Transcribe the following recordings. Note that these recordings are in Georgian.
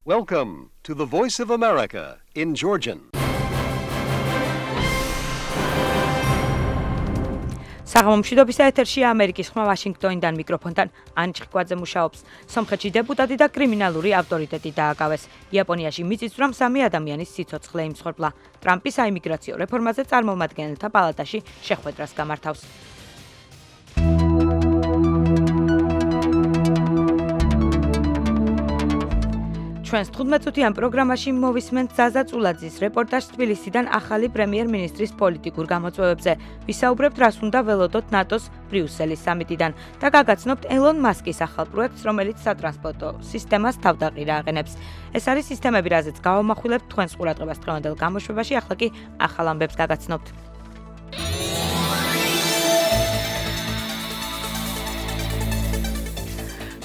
Welcome to the Voice of America in Georgian. საღამომშვიდობისა ეთერშია ამერიკის ხმა ვაშინგტონიდან მიკროფონთან ანჩი ხვაძე მუშაობს. სომხეთში დეპუტატი და კრიმინალური ავტორიტეტი დააკავეს. იაპონიაში მიწისძვრამ 3 ადამიანის სიცოცხლე იმსხვერპლა. ტრამპი საიმიგრაციო რეფორმაზე წარმომადგენელთა პალატაში შეხვედრას გამართავს. ჩვენს 15-წუთიან პროგრამაში მოვისმენთ ზაზა წულაძის რეპორტაჟს თბილისიდან ახალი პრემიერ-მინისტრის პოლიტიკურ გამოწვევებზე. ვისაუბრებთ, რას უნდა ველოდოთ ნატოს ბრიუსელის სამიტიდან და გაგაცნობთ ელონ მასკის ახალ პროექტს, რომელიც სატრანსპორტო სისტემას თავდაყირა აყენებს. ეს არის სისტემები, რაზეც გავამახვილებთ თქვენს ყურადღებას დღევანდელ გამოშვებაში, ახლა კი ახალ ამბებს გაგაცნობთ.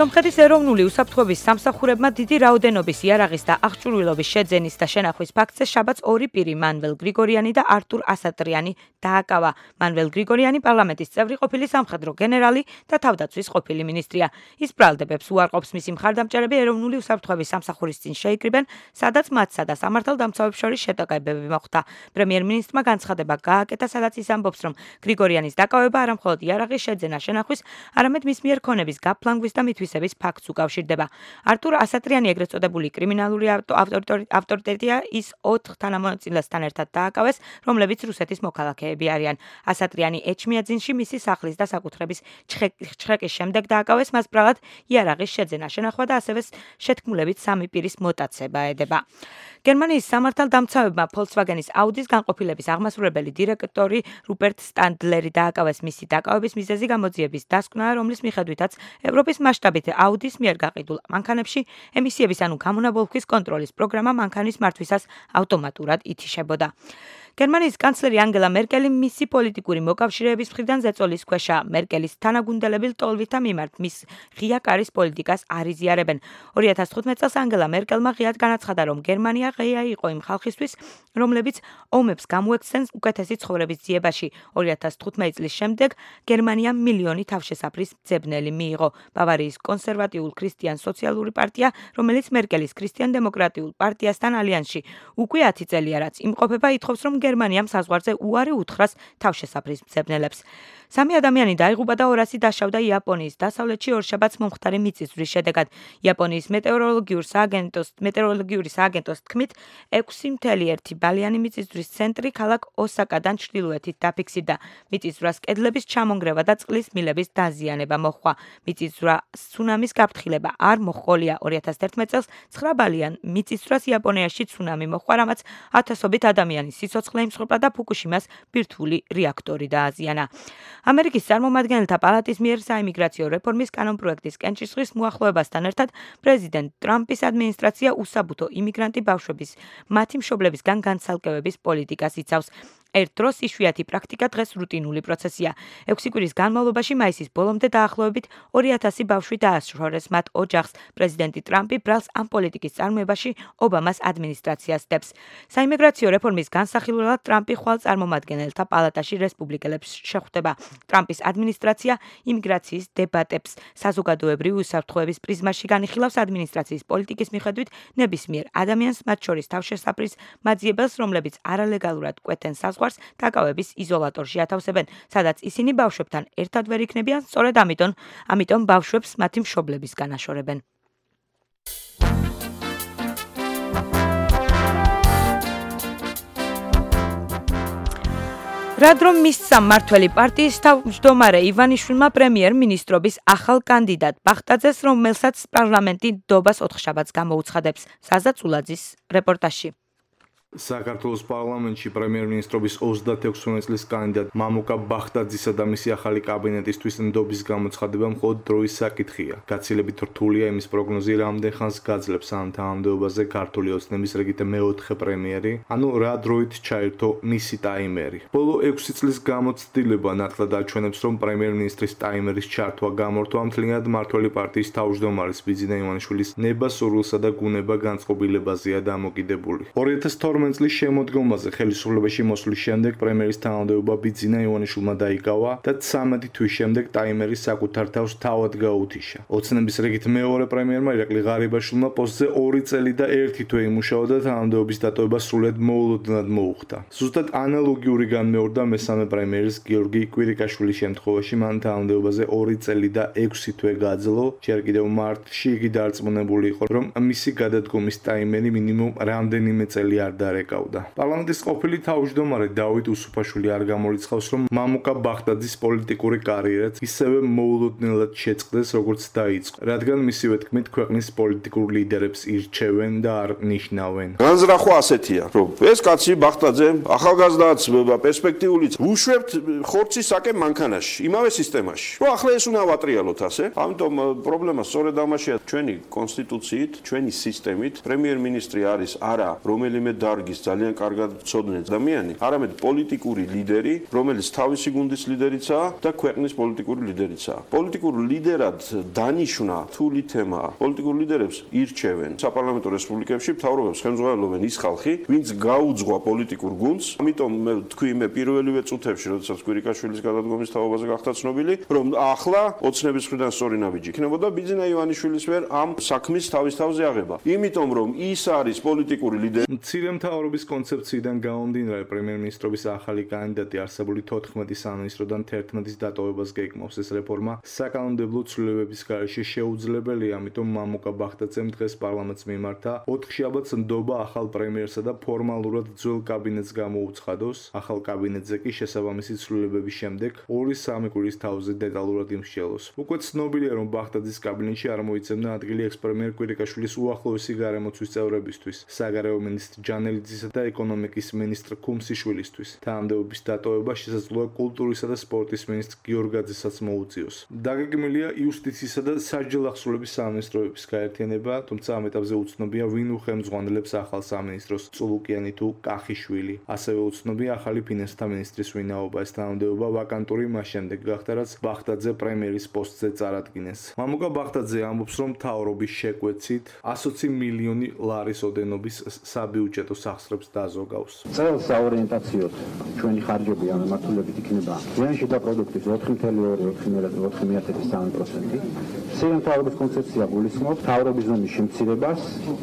სომხეთის ეროვნული უსაფრთხოების სამსახურებმა დიდი რაოდენობის იარაღის და აღჭურვილობის შეძენის და შენახვის ფაქტზე შაბათს 2 პირი მანվել გრიგორიანი და არტურ ასატრიანი დააკავა. მანվել გრიგორიანი პარლამენტის წევრი ყოფილი სამხედრო გენერალი და თავდაცვის ყოფილი მინისტრია. ის ბრალდებებს უარყოფს, მისი მხარდამჭერები ეროვნული უსაფრთხოების სამსახურის წინ შეიკრიბენ, სადაც მათსა და სამართალდამცავებს შორის შეტაკებები მოხდა. პრემიერ-მინისტრმა განცხადება გააკეთა, სადაც ის ამბობს, რომ გრიგორიანის დაკავება არა მხოლოდ იარაღის შეძენა შენახვის, არამედ მის მიერ ქონების გაფლანგვის და მითვისების ფაქტს უკავშირდება. არტურ ასატრიანი ეგრეთ წოდებული კრიმინალური ავტორიტეტია, ის 4 თანამონაწილესთან ერთად დააკავეს, რომლებიც რუსეთის მოქალაქეები არიან. ასატრიანი ეჩმიაძინში მისი სახლის და საკუთრების ჩხეკის შემდეგ დააკავეს, მას ბრალად იარაღის შეძენა შენახვა და ასევე შეთქმულებით 3 პირის მოტაცება ედება. გერმანიის სამართალდამცავებმა Volkswagen-ის Audi-ს განყოფილების აღმასრულებელი დირექტორი რუპერტ სტანდლერი დააკავეს. მისი დაკავების მიზეზი გამოძიების დასკვნაა, რომლის მიხედვითაც ევროპის მასშტაბით Audi-s მიერ გაყიდულ მანქანებში ემისიების ანუ გამონაბოლქვის კონტროლის პროგრამა მანქანის მართვისას ავტომატურად ითიშებოდა. გერმანიის კანცლერი ანგელა მერკელი მისი პოლიტიკური მოკავშირეების მხრიდან ზეწოლის ქვეშაა. მერკელის თანაგუნდელები ლტოლვითა მიმართ მის ღია კარის პოლიტიკას არ იზიარებენ. 2015 წელს ანგელა მერკელმა ღიად განაცხადა, რომ გერმანია ღია იყო იმ ხალხისთვის, რომლებიც ომებს გამოექცნენ უკეთესი ცხოვრების ძიებაში. 2015 წლის შემდეგ გერმანიამ მილიონი თავშესაფრის მძებნელი მიიღო. ბავარიის კონსერვატიულ ქრისტიან სოციალური პარტია, რომელიც მერკელის ქრისტიან-დემოკრატიულ პარტიასთან ალიანსში უკვე 10 წელია, რაც იმყოფება, ითხოვს, რომ გერმანიამ საზღვარზე უარი უთხრას თავშესაფრის მძებნელებს. 3 ადამიანი დაიღუპა და 200 დაშავდა იაპონიის დასავლეთში ორშაბათს მომხდარი მიწისძვრის შედეგად. იაპონიის მეტეოროლოგიური სააგენტოს თქმით, 6.1 ბალიანი მიწისძვრის ცენტრი ქალაქ ოსაკადან ჩრდილოეთით დაფიქსირდა. მიწისძვრას კედლების ჩამონგრევა და წყლის მილების დაზიანება მოჰყვა. მიწისძვრა ცუნამის გაფრთხილება არ მოჰყოლია. 2011 წელს 9 ბალიან მიწისძვრას იაპონიაში ცუნამი მოჰყვა, რამაც ათასობით ადამიანის სიცოცხლე იმსხვერპლა და ფუკუშიმას ბირთვული რეაქტორი დააზიანა. ამერიკის წარმომადგენელთა პალატის მიერ საიმიგრაციო რეფორმის კანონპროექტის კენჭისყრის მოახლოებასთან ერთად პრეზიდენტ ტრამპის ადმინისტრაცია უსაბუთო იმიგრანტი ბავშვების მათი მშობლებისგან განცალკევების პოლიტიკას იცავს. ერთ დროს იშვიათი პრაქტიკა დღეს რუტინული პროცესია. 6 კვირის განმავლობაში მაისის ბოლომდე დაახლოებით 2000 ბავშვი დააშორეს მათ ოჯახს. პრეზიდენტი ტრამპი ბრალს ამ პოლიტიკის წარმოებაში ობამას ადმინისტრაციას დებს. საიმიგრაციო რეფორმის განსახილველად ტრამპი ხვალ წარმომადგენელთა პალატაში რესპუბლიკელებს შეხვდება. ტრამპის ადმინისტრაცია იმიგრაციის დებატებს საზოგადოებრივი უსაფრთხოების პრიზმაში განიხილავს. ადმინისტრაციის პოლიტიკის მიხედვით ნებისმიერ ადამიანს, მათ შორის თავშესაფრის მაძიებელს, რომლებიც არალეგალურად კვეთენ საზღვარს, დაკავების იზოლატორში ათავსებენ, სადაც ისინი ბავშვებთან ერთად ვერ იქნებიან, სწორედ ამიტომ ბავშვებს მათი მშობლებისგან აშორებენ. რად რომ მისცა მმართველი პარტიის თავმჯდომარე ივანიშვილმა პრემიერ-მინისტრობის ახალ კანდიდატ ბახტაძეს, რომელსაც პარლამენტი ნდობას 4 შაბათს გამოუცხადებს. ზაზა წულაძის რეპორტაჟში. საქართველოს პარლამენტში პრემიერ-მინისტრობის 26 წლის კანდიდატ მამუკა ბახტაძისა და მისი ახალი კაბინეტისთვის ნდობის გამოცხადება მხოლოდ დროის საკითხია. გაცილებით რთულია იმის პროგნოზი, რამდენ ხანს გაძლებს ამ თანამდებობაზე ქართული ოცნების რიგით მეოთხე პრემიერი, ანუ რა დროით ჩაერთო მისი ტაიმერი. ბოლო 6 წლის გამოცდილება ნათლად აჩვენებს, რომ პრემიერ-მინისტრის ტაიმერის ჩართვა გამორთვა მთლიანად მმართველი პარტიის თავმჯდომარის ბიძინა ივანიშვილის ნება სურვილსა და გუნება განწყობილებაზეა დამოკიდებული. 2012 2018 წლის შემოდგომაზე ხელისუფლებაში მოსვლის შემდეგ პრემიერის თანამდებობა ბიძინა ივანიშვილმა დაიკავა და 13 თვის შემდეგ ტაიმერის საკუთარ თავს თავად გაუთიშა. ოცნების რიგით მეორე პრემიერმა ირაკლი ღარიბაშვილმა პოსტზე 2 წელი და 1 თვე იმუშავა და თანამდებობის დატოვება სრულად მოულოდნელად მოუხდა. ზუსტად ანალოგიური განმეორდა მესამე პრემიერის გიორგი კვირიკაშვილის შემთხვევაში, მან თანამდებობაზე 2 წელი და 6 თვე გააძლო, ჯერ კიდევ მარტში იგი დარწმუნებული იყო, რომ მისი გადადგომის ტაიმერი მინიმუმ რამდენიმე წელი არ დარეკავდა. პარლამენტის ყოფილი თავმჯდომარე დავით უსუფაშვილი არ გამორიცხავს, რომ მამუკა ბახტაძის პოლიტიკური კარიერაც ისევე მოულოდნელად შეწყდეს, როგორც დაიწყო, რადგან მისივე თქმით ქვეყნის პოლიტიკურ ლიდერებს ირჩევენ და არ ნიშნავენ. განზრახვა ასეთია, რომ ეს კაცი ბახტაძე ახალგაზრდაც პერსპექტიულიც უშვებთ ხორცის საკე მანქანაში, იმავე სისტემაში. რომ ახლა ეს უნდა ვატრიალოთ ასე. ამიტომ პრობლემა სწორედ ამაშია, ჩვენი კონსტიტუციით, ჩვენი სისტემით პრემიერ-მინისტრი არის არა რომელიმე დარგის ძალიან კარგად ცოდნე ადამიანი, არამედ პოლიტიკური ლიდერი, რომელიც თავისი გუნდის ლიდერიცაა და ქვეყნის პოლიტიკური ლიდერიცაა. პოლიტიკურ ლიდერად დანიშვნა რთული თემაა. პოლიტიკურ ლიდერებს ირჩევენ საპარლამენტო რესპუბლიკებში, მთავრობებს ხელმძღვანელობენ ის ხალხი, ვინც გაუძღვა პოლიტიკურ გუნდს. ამიტომ მე თქვი მე პირველივე წუთებში, როდესაც კვირიკაშვილის გადადგომის თაობაზე გახდა ცნობილი, რომ ახლა ოცნების მხრიდან სწორი ნაბიჯი იქნებოდა ბიძინა ივანიშვილის მიერ ამ საქმის თავის თავზე აღება. იმიტომ რომ ის არის პოლიტიკური ლიდერი. მცირე მთავრობის კონცეფციიდან გამომდინარე პრემიერ-მინისტრობის ახალი კანდიდატი არსებული 14 სამინისტროდან 11-ის დატოვებას გეკმავს. ეს რეფორმა საკანონმდებლო ცვლილებების გარეშე შეუძლებელია, ამიტომ მამუკა ბახტაძემ დღეს პარლამენტს მიმართა 4 შაბათს ნდობა ახალ პრემიერსა და ფორმალურად ძველ კაბინეტს გამოუცხადოს. ახალ კაბინეტზე კი შესაბამისი ცვლილებების შემდეგ 2-3 კვირის თავზე დეტალურად იმსჯელოს. უკვე ცნობილია, რომ ბახტაძის კაბინეტში არ მოიცემდა ადგილი ექს-პრემიერ კვირიკაშვილის უახლოესი გარემოცვის წევრებისთვის, საგარეო მინისტრ ჯანელიძისა და ეკონომიკის მინისტრ ქუმსიშვილისთვის. თანამდებობის დატოვება შესაძლოა კულტურისა და სპორტის მინისტრ გიორგაძესაც მოუწიოს. დაგეგმილია იუსტიციისა და სასჯელ ახსრულების სამინისტროების გაერთიანება, თუმცა ამ ეტაპზე უცნობია, ვინ უხელმძღვანელებს ახალ სამინისტროს, წულუკიანი თუ კახიშვილი. ასევე უცნობია ახალი ფინანსთა მინისტრის ვინაობა. ეს თანამდებობა ვაკანტური მას შემდეგ გახდა, რაც ბახტაძე პრემიერის პოსტზე წარადგინეს. მამუკა ბახტაძე ამბობს, რომ მთავრობის შეკვეცით 120 მილიონი ლარის ოდენობის საბიუჯეტო სახსრებს დაზოგავს. წელს საორიენტაციოდ ჩვენი ხარჯები ამ მიმართულებით იქნება ზიანში შიდა პროდუქტის 4,4%. მთავრობის კონცეფცია გულისხმობს მთავრობის ზომის შემცირებას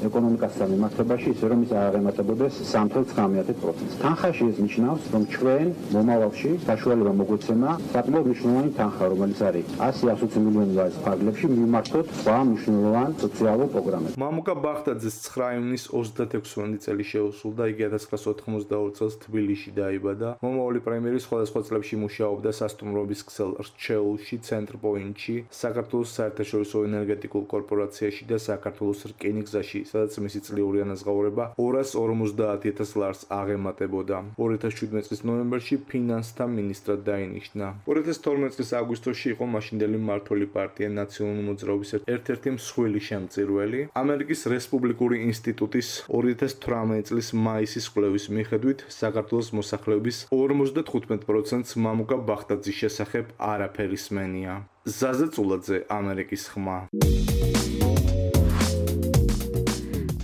ეკონომიკასთან მიმართებაში, ისე რომ ის აღემატებოდეს 3,9%. თანხაში ეს ნიშნავს, რომ ჩვენ მომავალში საშუალება მოგვეცემა საკმაოდ მნიშვნელოვანი თანხა, რომელიც არის 100-120 მილიონი ლარის ფარგლებში მიმართოთ სხვა მნიშვნელოვან სოციალურ პროგრამებს. მამუკა ბახტაძეს 9 ივნის 36 წელი შეუსრულდა, იგი 1992 წელს თბილისში დაიბადა. მომავალი პრემიერი სხვადასხვა წლებში მუშაობდა სასტუმროების ქსელ რჩეულში, ცენტრპოინტში, საქართველოს საერთაშორისო ენერგეტიკულ კორპორაციაში და საქართველოს რკინიგზაში, სადაც მისი წლიური ანაზღაურება 250,000 ლარს აღემატებოდა. 2017 წლის ნოემბერში ფინანსთა მინისტრად დაინიშნა. 2012 წლის აგვისტოში იყო მაშინდელი მმართველი პარტია ნაციონალური მოძრაობის ერთ-ერთი მსხვილი შემწირველი. ამერიკის რესპუბლიკური ინსტიტუტის 2018 წლის მაისის კვლევის მიხედვით საქართველოს მოსახლეობის 55%-ს მამუკა ბახტაძის შესახებ არაფერი სმენია. ზაზა წულაძე, ამერიკის ხმა.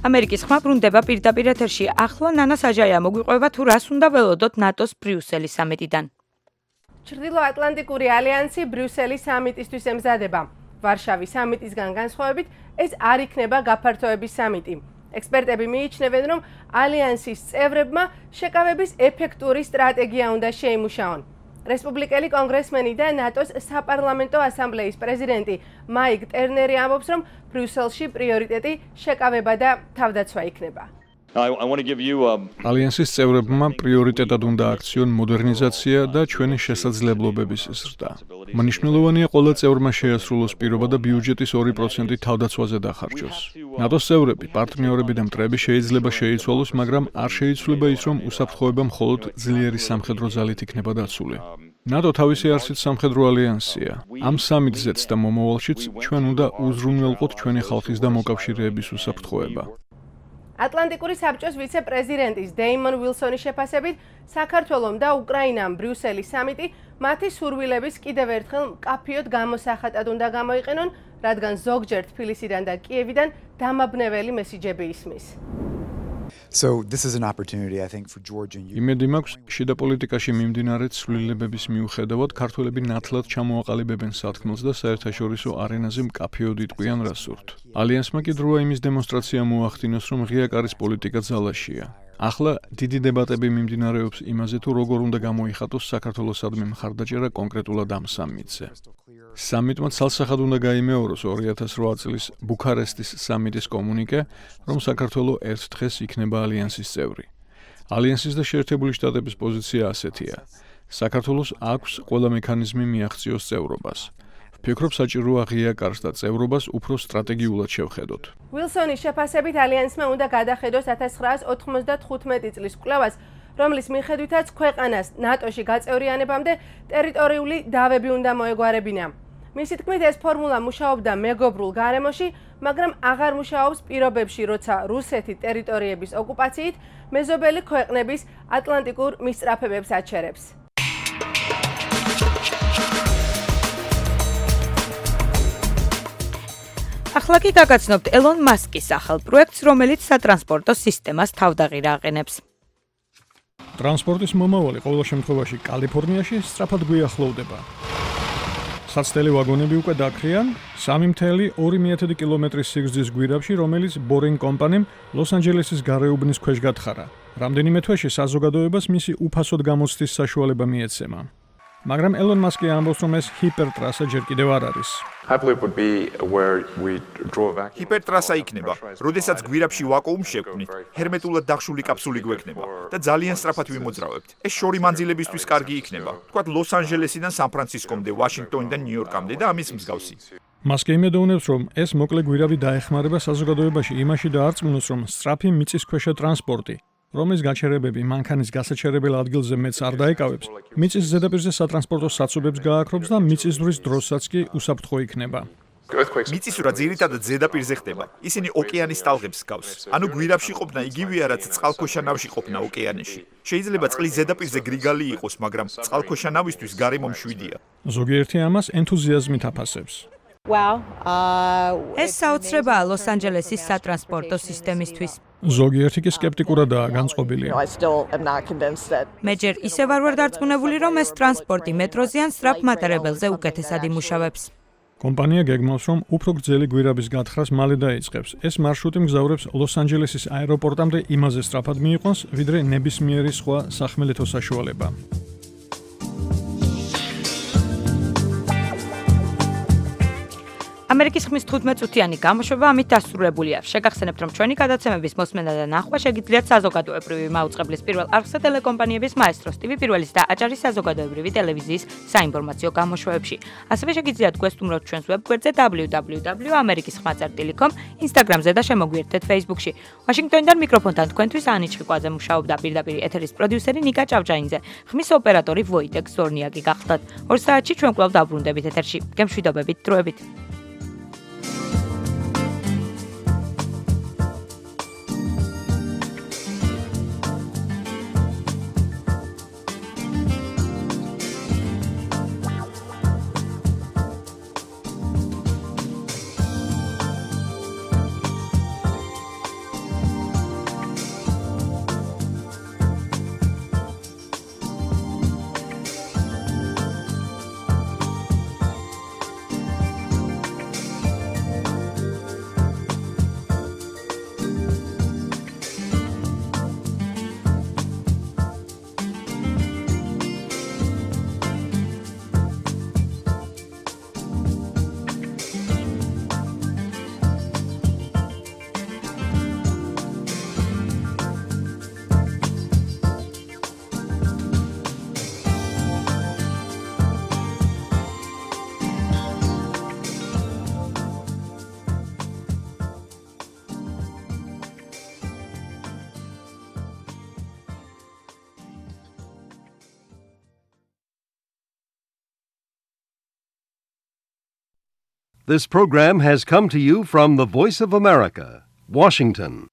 ამერიკის ხმა ბრუნდება პირდაპირ ეთერში. ახლა ნანა საჯაია მოგვიყვება თუ რას უნდა ველოდოთ ნატოს ბრიუსელის სამიტიდან. ჩრდილოატლანტიკური ალიანსი ბრიუსელის სამიტისთვის ემზადება. ვარშავის სამიტისგან განსხვავებით, ეს არ იქნება გაფართოების სამიტი. ექსპერტები მიიჩნევენ, რომ ალიანსის წევრებმა შეკავების ეფექტური სტრატეგია უნდა შეიმუშაონ. რესპუბლიკელი კონგრესმენი და ნატოს საპარლამენტო ასამბლეის პრეზიდენტი მაიკ ტერნერი ამბობს, რომ ბრიუსელში პრიორიტეტი შეკავება და თავდაცვა იქნება. ალიანსის წევრებმა პრიორიტეტად უნდა აქციონ მოდერნიზაცია და ჩვენი შესაძლებლობების ზრდა. მნიშვნელოვანია ყველა წევრმა შეასრულოს პირობა და ბიუჯეტის 2% თავდაცვაზე დახარჯოს. ნატოს წევრები, პარტნიორები და მტრები შეიძლება შეიცვალოს, მაგრამ არ შეიცვლება ის, რომ უსაფრთხოება მხოლოდ ძლიერი სამხედრო ძალით იქნება დაცული. ნატო თავისი არსით სამხედრო ალიანსია. ამ სამიტზეც და მომავალშიც ჩვენ უნდა უზრუნველყოთ ჩვენი ხალხის და მოკავშირეების უსაფრთხოება. ატლანტიკური საბჭოს ვიცე-პრეზიდენტის დეიმონ ვილსონის შეფასებით, საქართველომ და უკრაინამ ბრიუსელის სამიტი მათი სურვილების კიდევ ერთხელ მკაფიოდ გამოსახატად უნდა გამოიყენონ, რადგან ზოგჯერ თბილისიდან და კიევიდან დამაბნეველი მესიჯები ისმის. So this is an opportunity I think for Georgia and იმედი მაქვს, შიდა პოლიტიკაში მიმდინარე ცვლილებების მიუხედავად ქართველები ნათლად ჩამოაყალიბებენ სათქმელს და საერთაშორისო არენაზე მკაფიოდ იტყვიან რას სურთ. ალიანსმა კი დროა იმის დემონსტრაცია მოახდინოს, რომ ღია კარის პოლიტიკა ძალაშია. ახლა დიდი დებატები მიმდინარეობს იმაზე, თუ როგორ უნდა გამოიხატოს საქართველოსადმი მხარდაჭერა კონკრეტულად ამ სამიტზე. სამიტმა ცალსახად უნდა გაიმეოროს 2008 წლის ბუქარესტის სამიტის კომუნიკე, რომ საქართველო ერთ დღეს იქნება ალიანსის წევრი. ალიანსის და შეერთებული შტატების პოზიცია ასეთია. საქართველოს აქვს ყველა მექანიზმი მიაღწიოს წევრობას. ვფიქრობ, საჭიროა ღია კარს და წევრობას უფრო სტრატეგიულად შევხედოთ. ვილსონის შეფასებით ალიანსმა უნდა გადახედოს 1995 წლის კვლევას, რომლის მიხედვითაც ქვეყანას ნატოში გაწევრიანებამდე ტერიტორიული დავები უნდა მოეგვარებინა. მისი თქმით, ეს ფორმულა მუშაობდა მეგობრულ გარემოში, მაგრამ აღარ მუშაობს პირობებში, როცა რუსეთი ტერიტორიების ოკუპაციით მეზობელი ქვეყნების ატლანტიკურ მისწრაფებებს აჩერებს. ახლა კი გაგაცნობთ ელონ მასკის ახალ პროექტს, რომელიც სატრანსპორტო სისტემას თავდაღირა აყენებს. ტრანსპორტის მომავალი ყოველ შემთხვევაში კალიფორნიაში სწრაფად გვიახლოვდება. საცდელი ვაგონები უკვე დაქრიან 3.2 კილომეტრის სიგრძის გვირაბში, რომელიც Boring კომპანიამ ლოს-ანჯელესის გარეუბნის ქვეშ გათხარა. რამდენიმე თვეში საზოგადოებას მისი უფასოდ გამოცდის საშუალება მიეცემა. მაგრამ ელონ მასკი ამბობს, რომ ეს ჰიპერტრასა ჯერ კიდევ არ არის. ჰიპერტრასა იქნება, როდესაც გვირაბში ვაკუუმს შევქმნით, ჰერმეტულად დახშული კაფსული გვექნება და ძალიან სწრაფად ვიმოძრავებთ. ეს შორი მანძილებისთვის კარგი იქნება. თქვათ ლოს-ანჯელესიდან სან-ფრანცისკომდე, ვაშინგტონიდან ნიუ-იორკამდე და ამის მსგავსი. მასკი იმედოვნებს, რომ ეს მოკლე გვირაბი დაეხმარება საზოგადოებაში იმაში დაარწმუნოს, რომ სწრაფი მიწისქვეშა ტრანსპორტი, რომლის გაჩერებები მანქანის გასაჩერებელ ადგილზე მეც არ დაეკავებს, მიწის ზედაპირზე სატრანსპორტო საცობებს გააქრობს და მიწისძვრის დროსაც კი უსაფრთხო იქნება. მიწისძვრა ძირითადად ზედაპირზე ხდება. ისინი ოკეანის ტალღებს ჰგავს. ანუ გვირაბში ყოფნა იგივეა, რაც წყალქვეშა ნავში ყოფნა ოკეანეში. შეიძლება წყლის ზედაპირზე გრიგალი იყოს, მაგრამ წყალქვეშა ნავისთვის გარემო მშვიდია. ზოგიერთი ამას ენთუზიაზმით აფასებს. ეს საოცრებაა ლოს-ანჯელესის სატრანსპორტო სისტემისთვის. ზოგიერთი კი სკეპტიკურადაა განწყობილი. მე ჯერ ისევ არ დარწმუნებული, რომ ეს ტრანსპორტი მეტროზე ან სწრაფ მატარებელზე უკეთესად იმუშავებს. კომპანია გეგმავს, რომ უფრო გრძელი გვირაბის გათხრას მალე დაიწყებს. ეს მარშრუტი მგზავრებს ლოს-ანჯელესის აეროპორტამდე იმაზე სწრაფად მიიყვანს, ვიდრე ნებისმიერი სხვა სახმელეთო საშუალება. ამერიკის ხმის 15 წუთიანი გამოშვება ამით დასრულებულია. შეგახსენებთ, რომ ჩვენი გადაცემების მოსმენა და ნახვა შეგიძლიათ საზოგადოებრივი მაუწყებლის პირველ არხსა ტელეკომპანიების მაესტროს TV პირველის და აჭარის საზოგადოებრივი ტელევიზიის საინფორმაციო გამოშვებებში. ასევე შეგიძლიათ გვესტუმროთ ჩვენს ვებგვერდზე www.amerikisxma.com, Instagram-ზე და შემოგვიერთდეთ Facebook-ში. ვაშინგტონიდან მიკროფონთან თქვენთვის ანი ჩხიკვაძე მუშაობდა, პირდაპირ ეთერის პროდიუსერი ნიკა ჭავჭაინძე, ხმის ოპერატორი ვოიტეკ ზორნიაკი გახლდათ. 2 საათში ჩვენ კვლავ დაბრუნდებით ეთერში. გემშვიდობებით, დროებით. This program has come to you from the Voice of America, Washington.